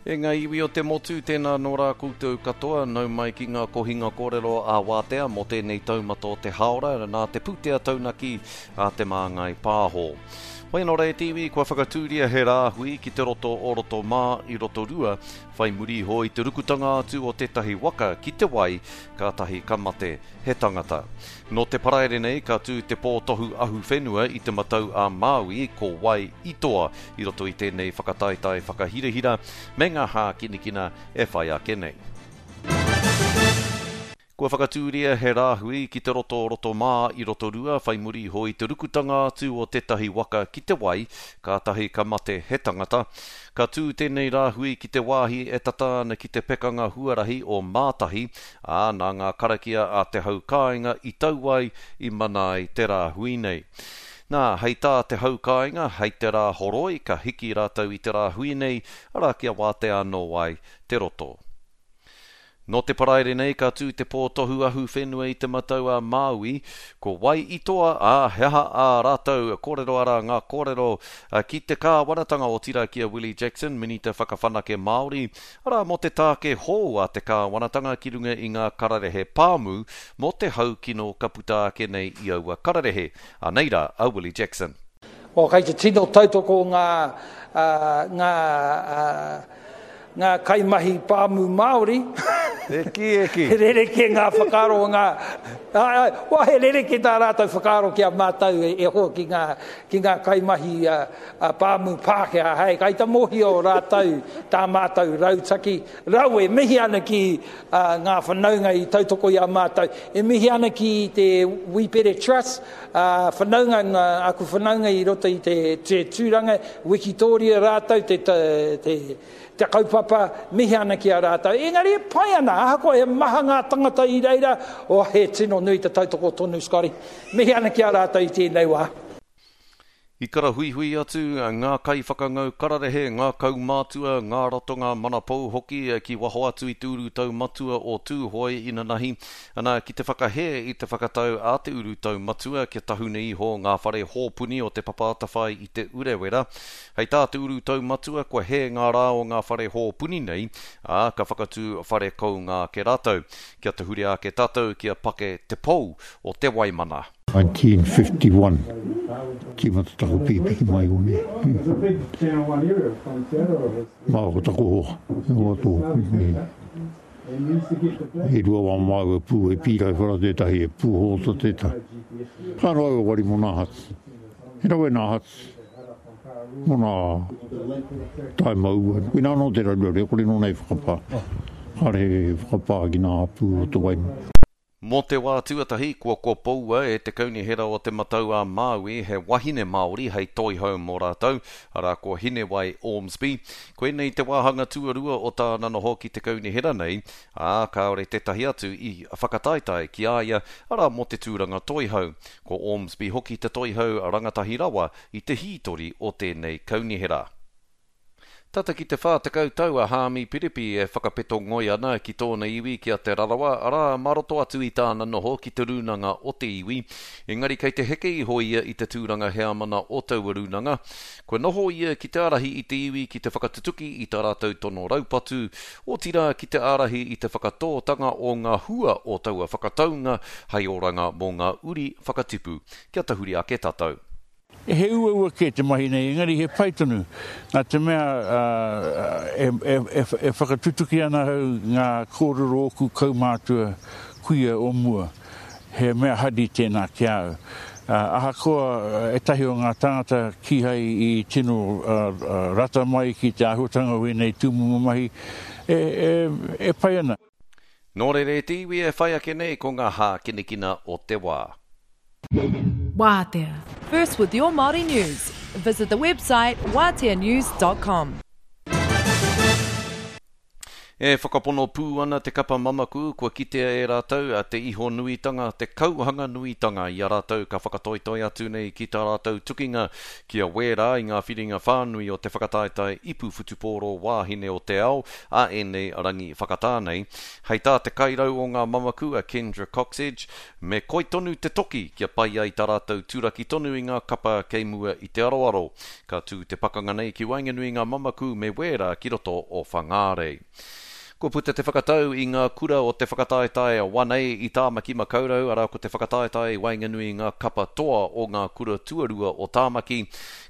E ngā iwi o te motu, tēnā nō rā koutou katoa, nau mai ki ngā kohinga kōrero a Wātea mō tēnei taumata o te hāora nā te pūtea taunaki a Te Māngai Pāho. Hoi anō rā e te iwi, kua whakatūria he rāhui ki te roto o Rotomā i Rotorua, whai muri iho i te rukutanga atu o tētahi waka ki te wai, kātahi ka mate he tangata. Nō te Paraire nei ka tū te pō tohu ahuwhenua i Te Matau a Māui, ko wai i toa i roto i tēnei whakataetae whakahirahira me ngā hākinikina e whai ake nei. Kua whakatūria he rāhui ki te roto o Rotomā i Rotorua whai muri iho i te rukutanga atu o tētahi waka ki te wai, kātahi ka mate he tangata. Ka tū tēnei rāhui ki te wāhi e tata ana ki te pekanga huarahi o Mātahi, ā, nā ngā karakia a te hau kāinga i tau ai, i mana ai te rāhui nei. Nā, hei tā te hau kāinga, hei te rā horoi ka hiki rātou i te rāhui nei, arā kia wātea anō ai te roto. Nō te Paraire nei ka tū te pō tohu ahuwhenua i Te Matau a Māui, ko wai i toa, ā, he aha ā rātou kōrero arā ngā kōrero ki te kāwanatanga otirā ki a Willie Jackson, Minita Whakawhanake Māori, Arā, mō te tāke hou a te kāwanatanga ki runga i ngā kararehe pāmu, mō te hau kino ka puta ake nei i aua kararehe. Anei rā a Willie Jackson. Well, kei te tino tautoko ngā, ngā, ngā kaimahi pāmu Māori. E kī, e kī. He rerekē ngā whakaaro o ngā, āe, āe, well, he rerekē tā rātou whakaaro ki a mātou e hoa ki ngā, ki ngā kaimahi A pāmu Pākehā, hei kai ta mōhio rātou tā mātou rautaki rawe. Mihi ana ki ngā whanaunga i tautoko i a mātou. E mihi ana ki te Wīpere Trust, whanaunga, ngā, aku whanaunga i roto i te, te tūranga, wikitōria rātou te, te, te, te kaupapa, mihi ana ki a rātou. Engari e pai ana, ahakoa he maha ngā tangata i reira, oh, he tino nui te tautoko tonu, Scotty. Mihi ana ki a rātou i tēnei wā. I karahuihui atu ngā kaiwhakangau kararehe, ngā kaumātua, ngā ratonga manapou hoki ki waho atu i te urutau matua o Tūhoe inanahi, ana, ki te whakahē i te whakatau a te urutau matua kia tahuna iho ngā whare hōpuni o Te Papa Atawhai i Te Urewera. Hei tā te urutau matua kua hē ngā rā o ngā whare hōpuni nei, ā, ka whakatū whare kounga ake rātou. Kia tahuri ake tātou kia pake te pou o Te Waimana. 1951, tīmata taku pīpiki mai konei. Mā ko taku hoa, he hoa tōku. E rua wā māua pū e pīrai whara tētahi, e pū hōta tētahi. Ka noa au wari mō nā hats. He rawe nā hats mō nā taima ua. Koinā anō te raruraru, e kore nōna e whakapā. Kāre e whakapā ki nā pū o te waima. Mō te wā tuatahi, kua kopoua e te Kaunihera o Te Matau-a-Māui he wahine Māori hei toihau mō rātou, arā ko Hinewai Ormsby. Koinei te wāhanga tuarua o tāna noho ki te kaunihera nei, ā, kāore tētahi atu i whakataetae ki a ia, arā mō te tūranga toihau. Ko Ormsby hoki te toihau rangatahi rawa i te hītori o tēnei kaunihera. Tata ki te 40 tau a Haami Piripi e whakapeto ngoi ana ki tōna iwi ki a Te Rarawa, arā, mā roto atu i tāna noho ki te rūnanga o te iwi. Engari kei te heke iho ia i te tūranga heamana o taua rūnanga. Kua noho ia ki te ārahi i te iwi ki te whakatutuki i tā rātou tono raupatu, otirā ki te ārahi i te whakatōtanga o ngā hua o taua whakataunga hei oranga mō ngā uri whakatipu. Kia tahuri ake tātou. He uaua kē te mahi nei, engari he pai tonu, nā te mea e whakatutuki ana ahau ngā kōrero ōku kaumātua kuia o mua, he mea hari tēnā ki a au. Ahakoa ētahi o ngā tāngata kīhai i tino rata mai ki te āhuatanga o ēnei tūmomo mahi, e pai ana. Nō reira e te iwi e whai ake nei ko ngā hākinakina o te wā. Wātea. First with your Māori news. Visit the website waateanews.com. E whakapono pū ana te kapa mamaku kua kitea e rātou te iho nuitanga, te kauhanga nuitanga i a rātou ka whakatoetoe atu nei ki tā rātou tukinga ki a Wērā i ngā whiringa whānui o te whakataetae ipu whutupōro wāhine o te ao a ēnei rangi whakatā nei. Hei tā te kairau o ngā mamaku a Kendra Cocksedge, me koi tonu te toki kia pai ai tā rātou turaki tonu i ngā kapa kei mua i te aroaro. Ka tū te pakanga nei ki waenganui i ngā mamaku me wērā ki roto o Whangārei. Kua puta te whakatau i ngā kura o te whakataetae One A i Tāmaki Makaurau, arā ko te whakataetae i waenganui i ngā kapa toa o ngā kura tuarua o Tāmaki,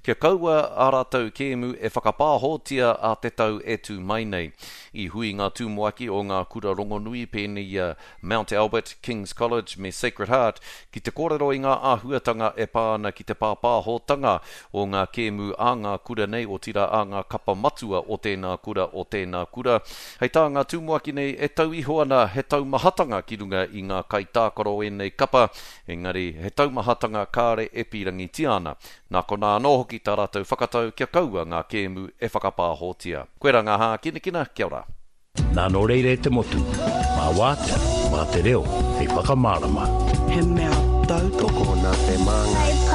kia kaua ā rātou kēmu e whakapāhōtia ā te tau e tū mai nei. I hui ngā tumuaki o ngā kura rongonui pēnei i a Mount Albert, King's College me Sacred Heart ki te kōrero i ngā āhuatanga e pā ana ki te pāpāhotanga o ngā kēmu a ngā kura nei, otirā a ngā kapa matua o tēnā kura, o tēnā kura. Hei tā ngā tumuaki nei e tau iho ana he taumahatanga ki runga i ngā kaitākaro o ēnei kapa, engari he taumahatanga kāre e pīrangitia ana. Nā konā anō hoki tā rātou whakatau kia kaua ngā kēmu e whakapāhotia. Koirā ngā hākinakina, kia ora. Nā nō reira e te motu, mā wātea, mā te reo hei whakamārama. He mea tautoko. Nā te māngai.